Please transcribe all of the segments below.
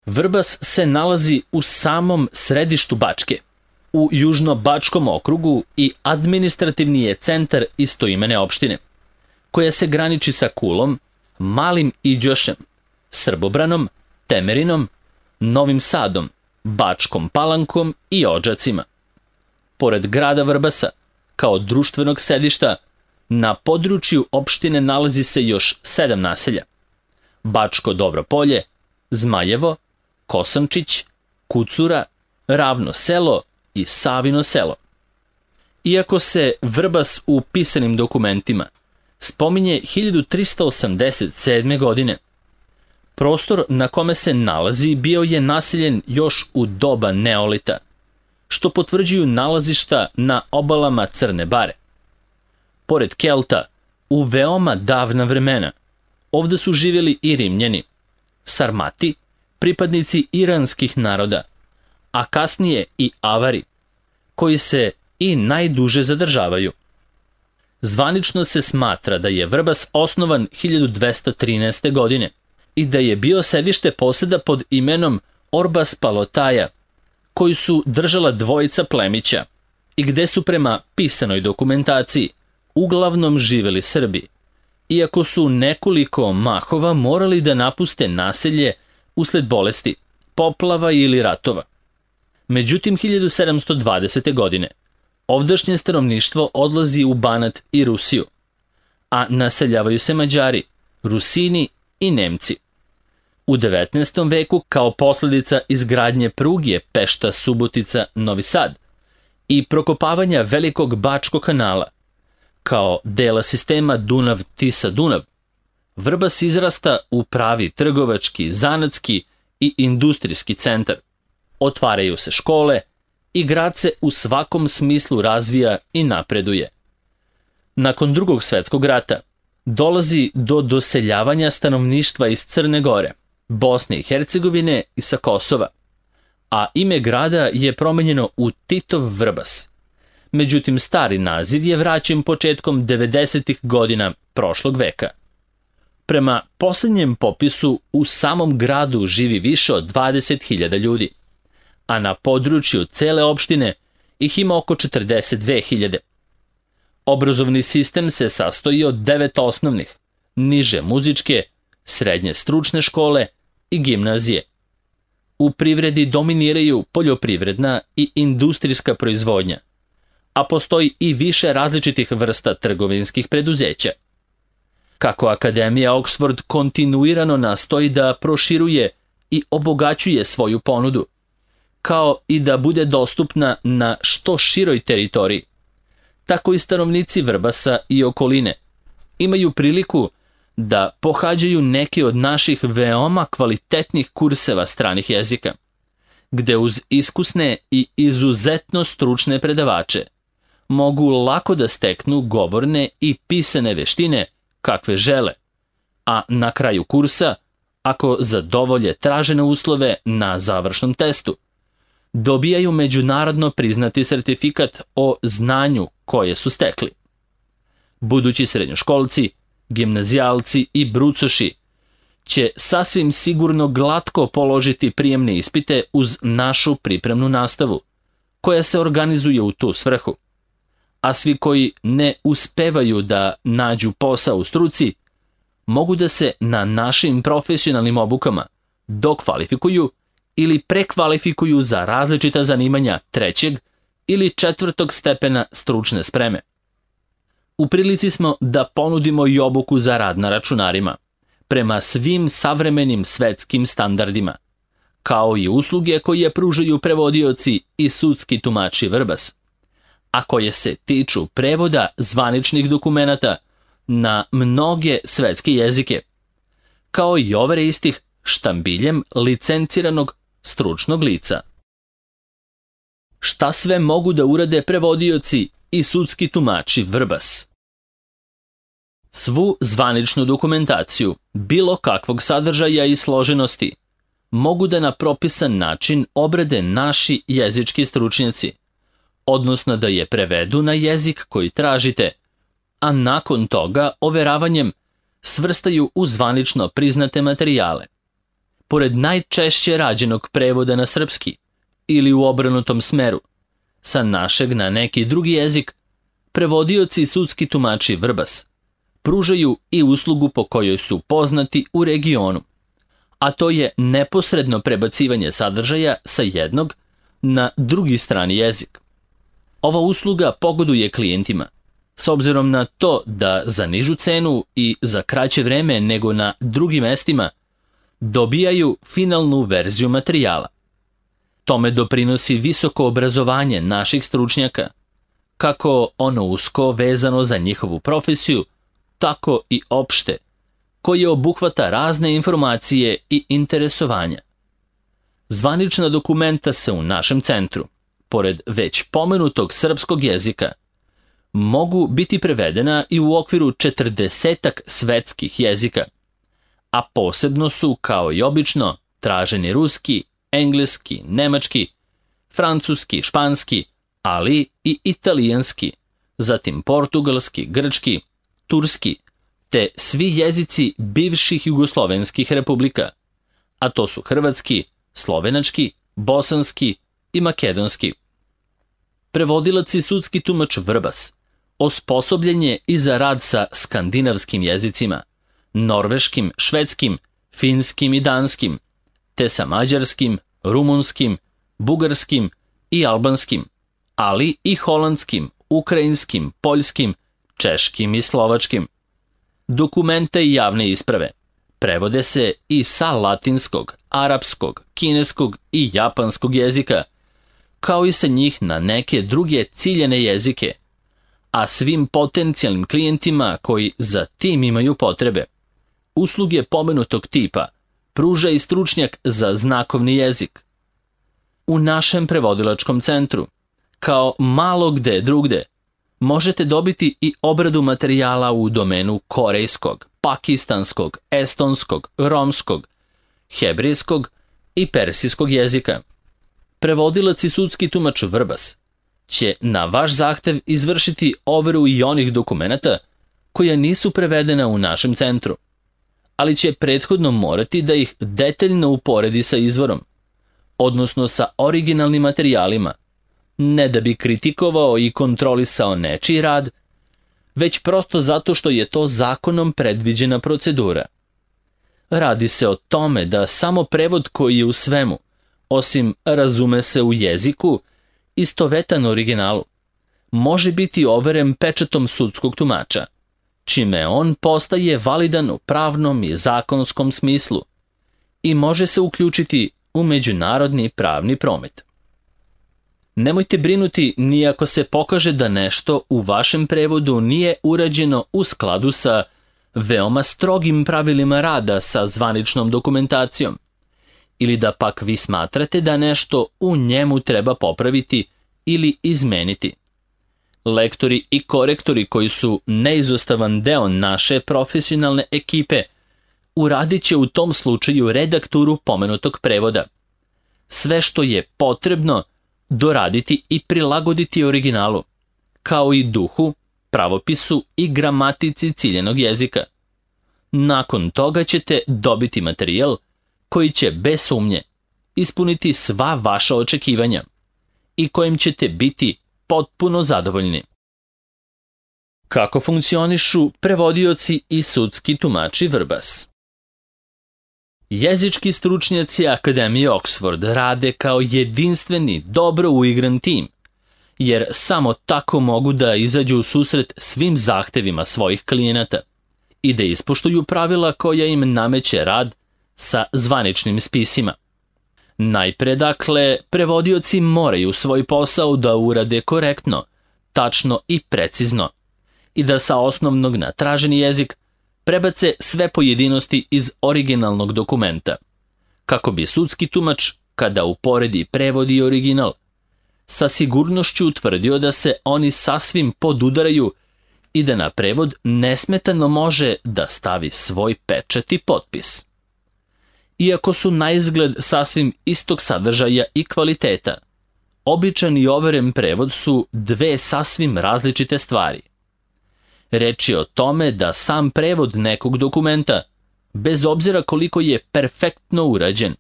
Vrbas se nalazi u samom središtu Bačke, u Južno-Bačkom okrugu i administrativni je centar istoimene opštine, koja se graniči sa Kulom, Malim Iđošem, Srbobranom, Temerinom, Novim Sadom, Bačkom Palankom i Odžacima. Pored grada Vrbasa, kao društvenog sedišta, na području opštine nalazi se još 7 naselja: Bačko Dobro Polje, Zmajevo, Kosančić, Kucura, Ravno selo i Savino selo. Iako se Vrbas u pisanim dokumentima spominje 1387. godine, prostor na kome se nalazi bio je naseljen još u doba Neolita, što potvrđuju nalazišta na obalama Crne Bare. Pored Kelta, u veoma davna vremena, ovde su živjeli i Rimljani, Sarmati, pripadnici iranskih naroda, a kasnije i Avari, koji se i najduže zadržavaju. Zvanično se smatra da je Vrbas osnovan 1213. godine i da je bio sedište poseda pod imenom Orbas Palotaja, koji su držala dvojica plemića i gde su prema pisanoj dokumentaciji uglavnom živeli Srbi, iako su nekoliko mahova morali da napuste naselje usled bolesti, poplava ili ratova. Međutim, 1720. godine ovdašnje stanovništvo odlazi u Banat i Rusiju, a naseljavaju se Mađari, Rusini i Nemci. U 19. veku, kao posledica izgradnje pruge Pešta-Subotica-Novi Sad i prokopavanja Velikog Bačkog kanala, kao dela sistema Dunav-Tisa-Dunav, Vrbas izrasta u pravi trgovački, zanatski i industrijski centar. Otvaraju se škole i grad se u svakom smislu razvija i napreduje. Nakon Drugog svjetskog rata dolazi do doseljavanja stanovništva iz Crne Gore, Bosne i Hercegovine i sa Kosova, a ime grada je promenjeno u Titov Vrbas. Međutim, stari naziv je vraćen početkom 90. godina prošlog veka. Prema posljednjem popisu, u samom gradu živi više od 20.000 ljudi, a na području cele opštine ih ima oko 42.000. Obrazovni sistem se sastoji od 9 osnovnih, niže muzičke, srednje stručne škole i gimnazije. U privredi dominiraju poljoprivredna i industrijska proizvodnja, a postoji i više različitih vrsta trgovinskih preduzeća. Kako Akademija Oxford kontinuirano nastoji da proširuje i obogaćuje svoju ponudu, kao i da bude dostupna na što široj teritoriji, tako i stanovnici Vrbasa i okoline imaju priliku da pohađaju neke od naših veoma kvalitetnih kurseva stranih jezika, gde uz iskusne i izuzetno stručne predavače mogu lako da steknu govorne i pisane veštine kakve žele, a na kraju kursa, ako zadovolje tražene uslove na završnom testu, dobijaju međunarodno priznati sertifikat o znanju koje su stekli. Budući srednjoškolci, gimnazijalci i brucoši će sasvim sigurno glatko položiti prijemne ispite uz našu pripremnu nastavu, koja se organizuje u tu svrhu. A svi koji ne uspevaju da nađu posao u struci, mogu da se na našim profesionalnim obukama dokvalifikuju ili prekvalifikuju za različita zanimanja 3. ili 4. stepena stručne spreme. U prilici smo da ponudimo i obuku za rad na računarima, prema svim savremenim svetskim standardima, kao i usluge koje pružaju prevodioci i sudski tumači Vrbas, a koje se tiču prevoda zvaničnih dokumenata na mnoge svetske jezike, kao i overe istih štambiljem licenciranog stručnog lica. Šta sve mogu da urade prevodioci i sudski tumači Vrbas? Svu zvaničnu dokumentaciju, bilo kakvog sadržaja i složenosti, mogu da na propisan način obrade naši jezički stručnjaci, odnosno da je prevedu na jezik koji tražite, a nakon toga overavanjem svrstaju u zvanično priznate materijale. pored najčešće rađenog prevoda na srpski ili u obrnutom smeru, sa našeg na neki drugi jezik, prevodioci i sudski tumači Vrbas pružaju i uslugu po kojoj su poznati u regionu, a to je neposredno prebacivanje sadržaja sa jednog na drugi strani jezik. Ova usluga pogoduje klijentima, s obzirom na to da za nižu cenu i za kraće vreme nego na drugim mestima dobijaju finalnu verziju materijala. Tome doprinosi visoko obrazovanje naših stručnjaka, kako ono usko vezano za njihovu profesiju, tako i opšte, koje obuhvata razne informacije i interesovanja. Zvanična dokumenta se u našem centru, pored već pomenutog srpskog jezika, mogu biti prevedena i u okviru 40 svetskih jezika, a posebno su, kao i obično, traženi ruski, engleski, nemački, francuski, španski, ali i italijanski, zatim portugalski, grčki, turski, te svi jezici bivših jugoslovenskih republika, a to su hrvatski, slovenački, bosanski i makedonski. Prevodilac i sudski tumač Vrbas osposobljen je i za rad sa skandinavskim jezicima, norveškim, švedskim, finskim i danskim, te sa mađarskim, rumunskim, bugarskim i albanskim, ali i holandskim, ukrajinskim, poljskim, češkim i slovačkim. Dokumenta i javne isprave prevode se i sa latinskog, arapskog, kineskog i japanskog jezika, kao i sa njih na neke druge ciljene jezike, a svim potencijalnim klijentima koji za tim imaju potrebe. Usluge pomenutog tipa pruža i stručnjak za znakovni jezik. U našem prevodilačkom centru, kao malo gde drugde, možete dobiti i obradu materijala u domenu korejskog, pakistanskog, estonskog, romskog, hebrejskog i persijskog jezika. Prevodilac i sudski tumač Vrbas će na vaš zahtev izvršiti overu i onih dokumenata koja nisu prevedena u našem centru, ali će prethodno morati da ih detaljno uporedi sa izvorom, odnosno sa originalnim materijalima, ne da bi kritikovao i kontrolisao nečiji rad, već prosto zato što je to zakonom predviđena procedura. Radi se o tome da samo prevod koji je u svemu, osim razume se u jeziku, istovetan originalu, može biti overen pečatom sudskog tumača, čime on postaje validan u pravnom i zakonskom smislu i može se uključiti u međunarodni pravni promet. Nemojte brinuti ni ako se pokaže da nešto u vašem prevodu nije urađeno u skladu sa veoma strogim pravilima rada sa zvaničnom dokumentacijom, ili da pak vi smatrate da nešto u njemu treba popraviti ili izmeniti. Lektori i korektori koji su neizostavan deo naše profesionalne ekipe uradit će u tom slučaju redakturu pomenutog prevoda. Sve što je potrebno doraditi i prilagoditi originalu, kao i duhu, pravopisu i gramatici ciljenog jezika. Nakon toga ćete dobiti materijal koji će bez sumnje ispuniti sva vaša očekivanja i kojim ćete biti potpuno zadovoljni. Kako funkcionišu prevodioci i sudski tumači Vrbas? Jezički stručnjaci Akademije Oxford rade kao jedinstveni, dobro uigran tim, jer samo tako mogu da izađu u susret svim zahtevima svojih klijenata i da ispoštuju pravila koja im nameće rad sa zvaničnim spisima. Najpre, dakle, prevodioci moraju svoj posao da urade korektno, tačno i precizno i da sa osnovnog na traženi jezik prebace sve pojedinosti iz originalnog dokumenta, kako bi sudski tumač, kada uporedi prevod i original, sa sigurnošću utvrdio da se oni sasvim podudaraju i da na prevod nesmetano može da stavi svoj pečat i potpis. Iako su naizgled sasvim istog sadržaja i kvaliteta, običan i overen prevod su dve sasvim različite stvari. Reč je o tome da sam prevod nekog dokumenta bez obzira koliko je perfektno urađen,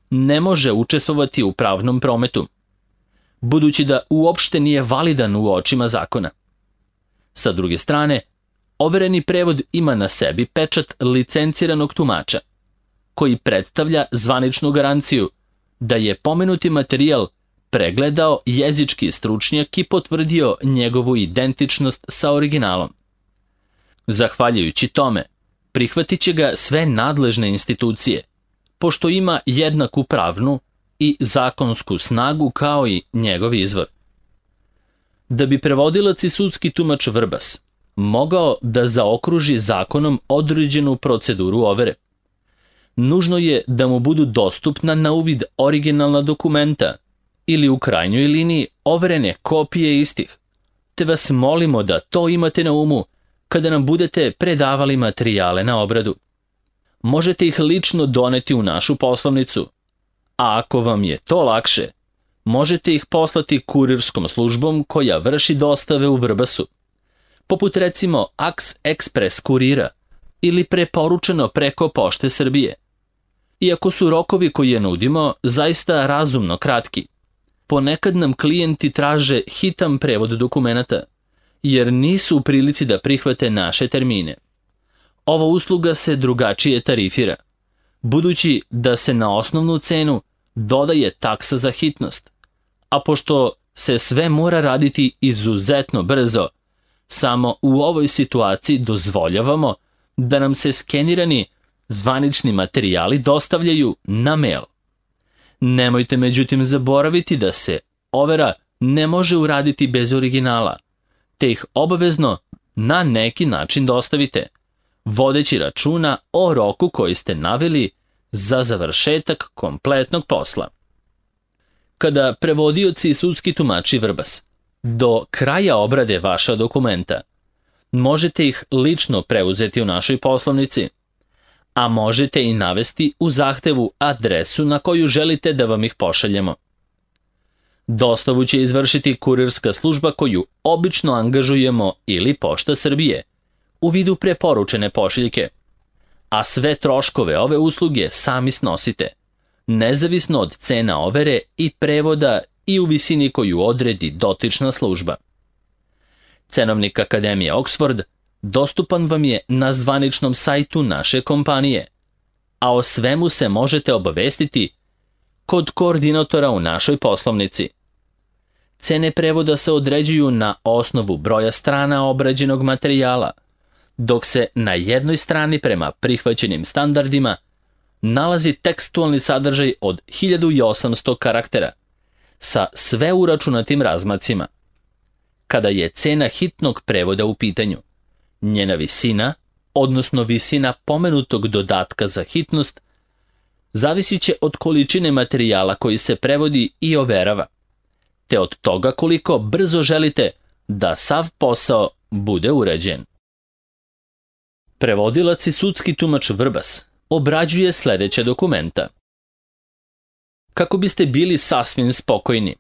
ne može učestvovati u pravnom prometu, budući da uopšte nije validan u očima zakona. Sa druge strane, overeni prevod ima na sebi pečat licenciranog tumača, koji predstavlja zvaničnu garanciju da je pomenuti materijal pregledao jezički stručnjak i potvrdio njegovu identičnost sa originalom. Zahvaljujući tome, prihvatit će ga sve nadležne institucije, pošto ima jednaku pravnu i zakonsku snagu kao i njegov izvor. Da bi prevodilac i sudski tumač Vrbas mogao da zaokruži zakonom određenu proceduru overe, nužno je da mu budu dostupna na uvid originalna dokumenta ili u krajnjoj liniji overene kopije istih, te vas molimo da to imate na umu kada nam budete predavali materijale na obradu. Možete ih lično doneti u našu poslovnicu, a ako vam je to lakše, možete ih poslati kurirskom službom koja vrši dostave u Vrbasu, poput recimo Aks Ekspres kurira ili preporučeno preko Pošte Srbije. Iako su rokovi koje nudimo zaista razumno kratki, ponekad nam klijenti traže hitan prevod dokumenata, jer nisu u prilici da prihvate naše termine. Ova usluga se drugačije tarifira, budući da se na osnovnu cenu dodaje taksa za hitnost, a pošto se sve mora raditi izuzetno brzo, samo u ovoj situaciji dozvoljavamo da nam se skenirani zvanični materijali dostavljaju na mail. Nemojte međutim zaboraviti da se overa ne može uraditi bez originala, te ih obavezno na neki način dostavite, vodeći računa o roku koji ste naveli za završetak kompletnog posla. Kada prevodioci i sudski tumači Vrbas do kraja obrade vaša dokumenta, možete ih lično preuzeti u našoj poslovnici, a možete i navesti u zahtevu adresu na koju želite da vam ih pošaljemo. Dostavu će izvršiti kurirska služba koju obično angažujemo ili Pošta Srbije u vidu preporučene pošiljke, a sve troškove ove usluge sami snosite, nezavisno od cena overe i prevoda i u visini koju odredi dotična služba. Cenovnik Akademije Oxford dostupan vam je na zvaničnom sajtu naše kompanije, a o svemu se možete obavestiti kod koordinatora u našoj poslovnici. Cene prevoda se određuju na osnovu broja strana obrađenog materijala, dok se na jednoj strani prema prihvaćenim standardima nalazi tekstualni sadržaj od 1800 karaktera sa sve uračunatim razmacima. Kada je cena hitnog prevoda u pitanju, njena visina, odnosno visina pomenutog dodatka za hitnost, zavisit će od količine materijala koji se prevodi i overava, te od toga koliko brzo želite da sav posao bude urađen. Prevodilac i sudski tumač Vrbas obrađuje sledeća dokumenta. Kako biste bili sasvim spokojni,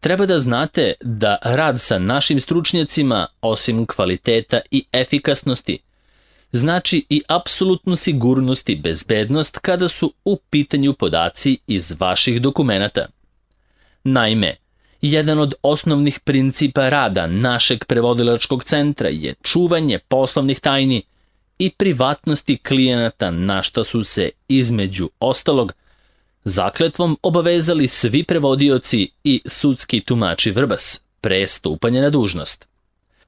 treba da znate da rad sa našim stručnjacima, osim kvaliteta i efikasnosti, znači i apsolutnu sigurnost i bezbednost kada su u pitanju podaci iz vaših dokumenata. Naime, jedan od osnovnih principa rada našeg prevodilačkog centra je čuvanje poslovnih tajni i privatnosti klijenata, na šta su se, između ostalog, zakletvom obavezali svi prevodioci i sudski tumači Vrbas pre stupanja na dužnost.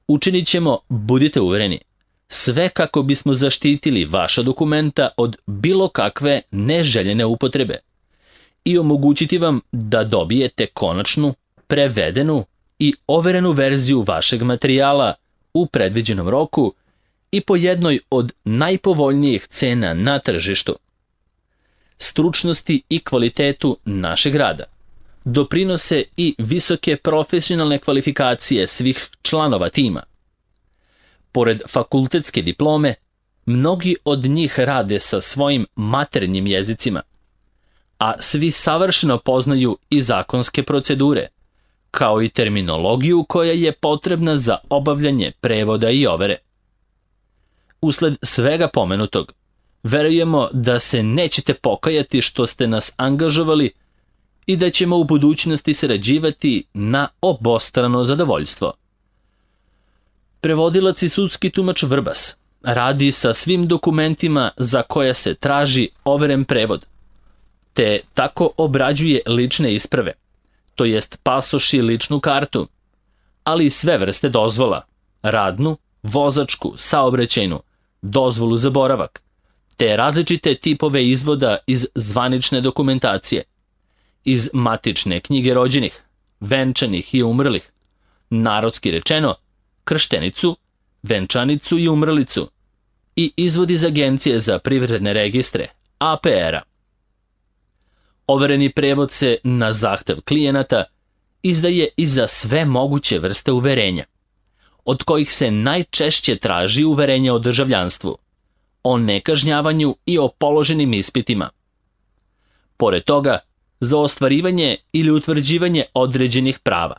Učinit ćemo, budite uvereni, sve kako bismo zaštitili vaša dokumenta od bilo kakve neželjene upotrebe i omogućiti vam da dobijete konačnu, prevedenu i overenu verziju vašeg materijala u predviđenom roku i po jednoj od najpovoljnijih cena na tržištu. Stručnosti i kvalitetu našeg rada doprinose i visoke profesionalne kvalifikacije svih članova tima. Pored fakultetske diplome, mnogi od njih rade sa svojim maternjim jezicima, a svi savršeno poznaju i zakonske procedure, kao i terminologiju koja je potrebna za obavljanje prevoda i overe. Usled svega pomenutog, Verujemo da se nećete pokajati što ste nas angažovali i da ćemo u budućnosti sarađivati na obostrano zadovoljstvo. Prevodilac i sudski tumač Vrbas radi sa svim dokumentima za koje se traži overen prevod, te tako obrađuje lične isprave, to jest pasoš i ličnu kartu, ali i sve vrste dozvola, radnu, vozačku, saobraćajnu, dozvolu za boravak, te različite tipove izvoda iz zvanične dokumentacije, iz matične knjige rođenih, venčanih i umrlih, narodski rečeno, krštenicu, venčanicu i umrlicu, i izvod iz Agencije za privredne registre, APR-a. Overeni prevod se na zahtev klijenata izdaje i za sve moguće vrste uverenja, od kojih se najčešće traži uverenje o državljanstvu, o nekažnjavanju i o položenim ispitima. Pored toga, za ostvarivanje ili utvrđivanje određenih prava,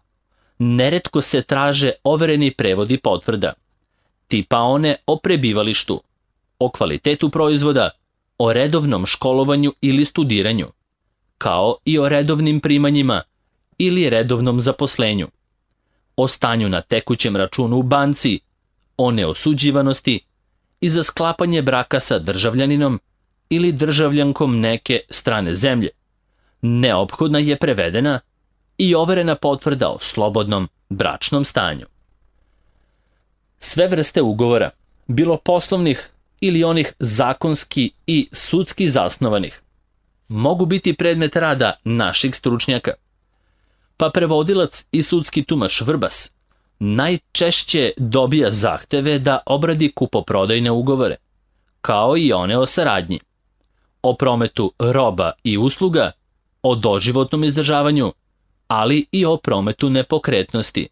neretko se traže overeni prevodi potvrda, tipa one o prebivalištu, o kvalitetu proizvoda, o redovnom školovanju ili studiranju, kao i o redovnim primanjima ili redovnom zaposlenju, o stanju na tekućem računu u banci, o neosuđivanosti i za sklapanje braka sa državljaninom ili državljankom neke strane zemlje. Neophodna je prevedena i overena potvrda o slobodnom bračnom stanju. Sve vrste ugovora, bilo poslovnih ili onih zakonski i sudski zasnovanih, mogu biti predmet rada naših stručnjaka, pa prevodilac i sudski tumač Vrbas najčešće dobija zahteve da obradi kupoprodajne ugovore, kao i one o saradnji, o prometu roba i usluga, o doživotnom izdržavanju, ali i o prometu nepokretnosti.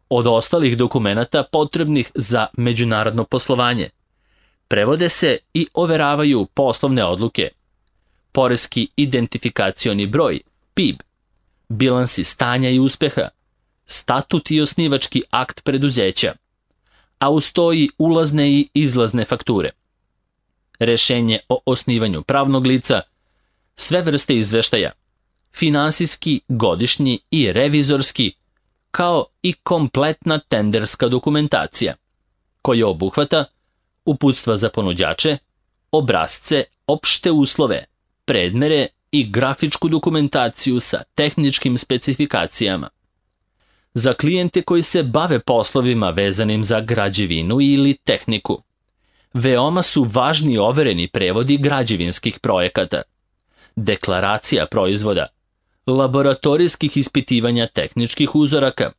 Od ostalih dokumenata potrebnih za međunarodno poslovanje prevode se i overavaju poslovne odluke, poreski identifikacioni broj, PIB, bilansi stanja i uspeha, statut i osnivački akt preduzeća, a uz to i ulazne i izlazne fakture, rešenje o osnivanju pravnog lica, sve vrste izveštaja, finansijski, godišnji i revizorski, kao i kompletna tenderska dokumentacija, koja obuhvata uputstva za ponuđače, obrasce, opšte uslove, predmere i grafičku dokumentaciju sa tehničkim specifikacijama. Za klijente koji se bave poslovima vezanim za građevinu ili tehniku, veoma su važni overeni prevodi građevinskih projekata, deklaracija proizvoda, laboratorijskih ispitivanja tehničkih uzoraka,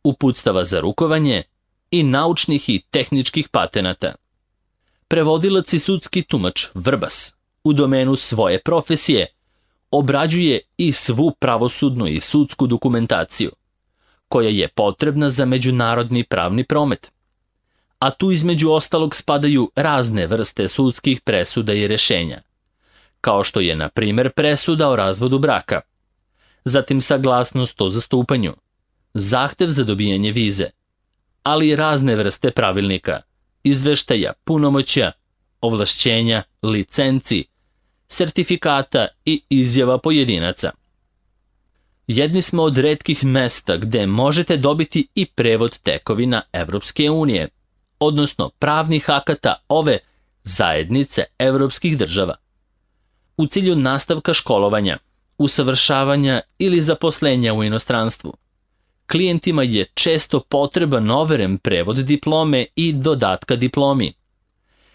uputstava za rukovanje i naučnih i tehničkih patenata. Prevodilac i sudski tumač Vrbas u domenu svoje profesije obrađuje i svu pravosudnu i sudsku dokumentaciju, koja je potrebna za međunarodni pravni promet. A tu između ostalog spadaju razne vrste sudskih presuda i rešenja, kao što je, na primjer, presuda o razvodu braka, zatim saglasnost o zastupanju, zahtev za dobijanje vize, ali i razne vrste pravilnika, izveštaja, punomoćja, ovlašćenja, licenci, sertifikata i izjava pojedinaca. Jedni smo od retkih mesta gde možete dobiti i prevod tekovina Evropske unije, odnosno pravnih akata ove zajednice evropskih država. U cilju nastavka školovanja, usavršavanja ili zaposlenja u inostranstvu, klijentima je često potreban overen prevod diplome i dodatka diplomi,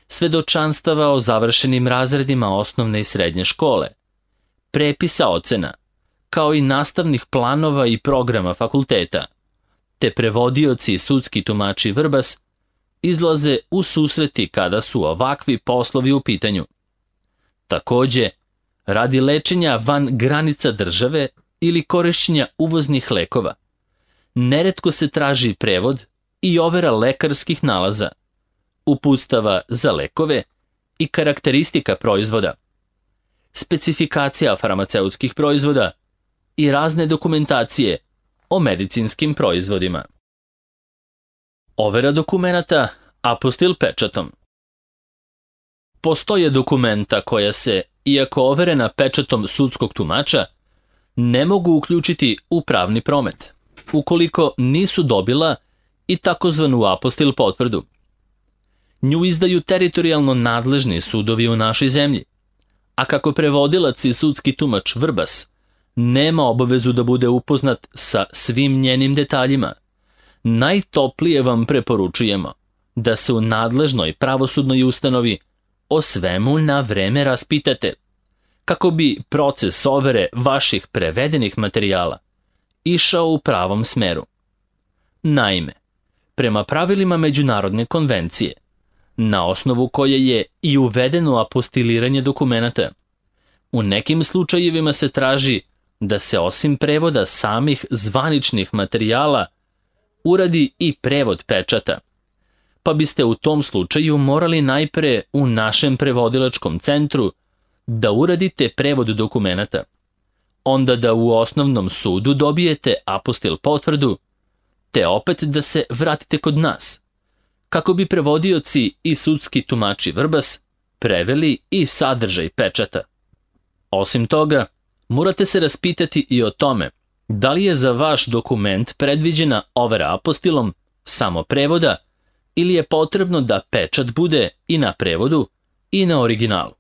svedočanstava o završenim razredima osnovne i srednje škole, prepisa ocena, kao i nastavnih planova i programa fakulteta, te prevodioci i sudski tumači Vrbas izlaze u susreti kada su ovakvi poslovi u pitanju. Takođe, radi lečenja van granica države ili korišćenja uvoznih lekova, neretko se traži prevod i overa lekarskih nalaza, uputstava za lekove i karakteristika proizvoda, specifikacija farmaceutskih proizvoda i razne dokumentacije o medicinskim proizvodima. Overa dokumenata apostil pečatom. postoje dokumenta koja se, iako overena pečatom sudskog tumača, ne mogu uključiti u pravni promet, ukoliko nisu dobila i takozvanu apostil potvrdu. Nju izdaju teritorijalno nadležni sudovi u našoj zemlji, a kako prevodilac i sudski tumač Vrbas nema obavezu da bude upoznat sa svim njenim detaljima, najtoplije vam preporučujemo da se u nadležnoj pravosudnoj ustanovi o svemu na vreme raspitate, kako bi proces overe vaših prevedenih materijala išao u pravom smeru. Naime, prema pravilima Međunarodne konvencije, na osnovu koje je i uvedeno apostiliranje dokumenata, u nekim slučajevima se traži da se osim prevoda samih zvaničnih materijala uradi i prevod pečata, pa biste u tom slučaju morali najpre u našem prevodilačkom centru da uradite prevod dokumenata, onda da u osnovnom sudu dobijete apostil potvrdu, te opet da se vratite kod nas, kako bi prevodioci i sudski tumači Vrbas preveli i sadržaj pečata. Osim toga, morate se raspitati i o tome da li je za vaš dokument predviđena overa apostilom samo prevoda ili je potrebno da pečat bude i na prevodu i na originalu.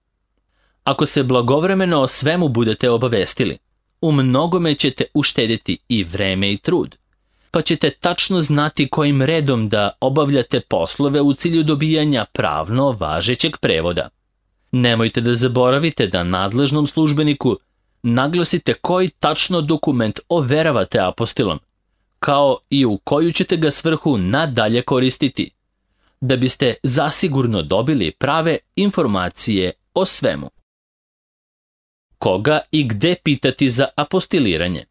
Ako se blagovremeno o svemu budete obavestili, u mnogome ćete uštediti i vreme i trud, pa ćete tačno znati kojim redom da obavljate poslove u cilju dobijanja pravno važećeg prevoda. Nemojte da zaboravite da nadležnom službeniku naglasite koji tačno dokument overavate apostilom, kao i u koju ćete ga svrhu nadalje koristiti, da biste zasigurno dobili prave informacije o svemu. Koga i gde pitati za apostiliranje?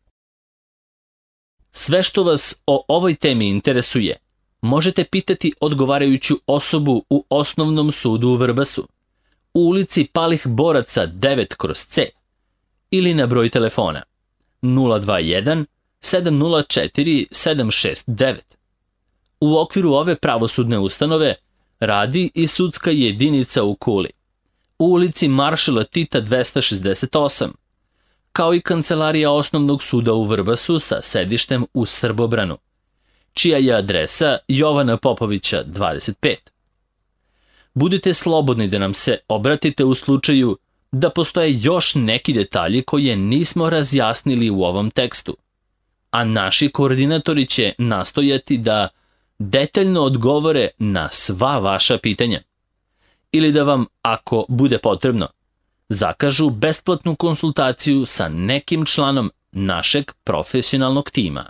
Sve što vas o ovoj temi interesuje, možete pitati odgovarajuću osobu u Osnovnom sudu u Vrbasu, u ulici Palih Boraca 9/C ili na broj telefona 021 704 769. U okviru ove pravosudne ustanove radi i sudska jedinica u Kuli, u ulici Maršala Tita 268, kao i kancelarija Osnovnog suda u Vrbasu sa sedištem u Srbobranu, čija je adresa Jovana Popovića 25. Budite slobodni da nam se obratite u slučaju da postoje još neki detalji koje nismo razjasnili u ovom tekstu, a naši koordinatori će nastojati da detaljno odgovore na sva vaša pitanja ili da vam, ako bude potrebno, zakažu besplatnu konsultaciju sa nekim članom našeg profesionalnog tima.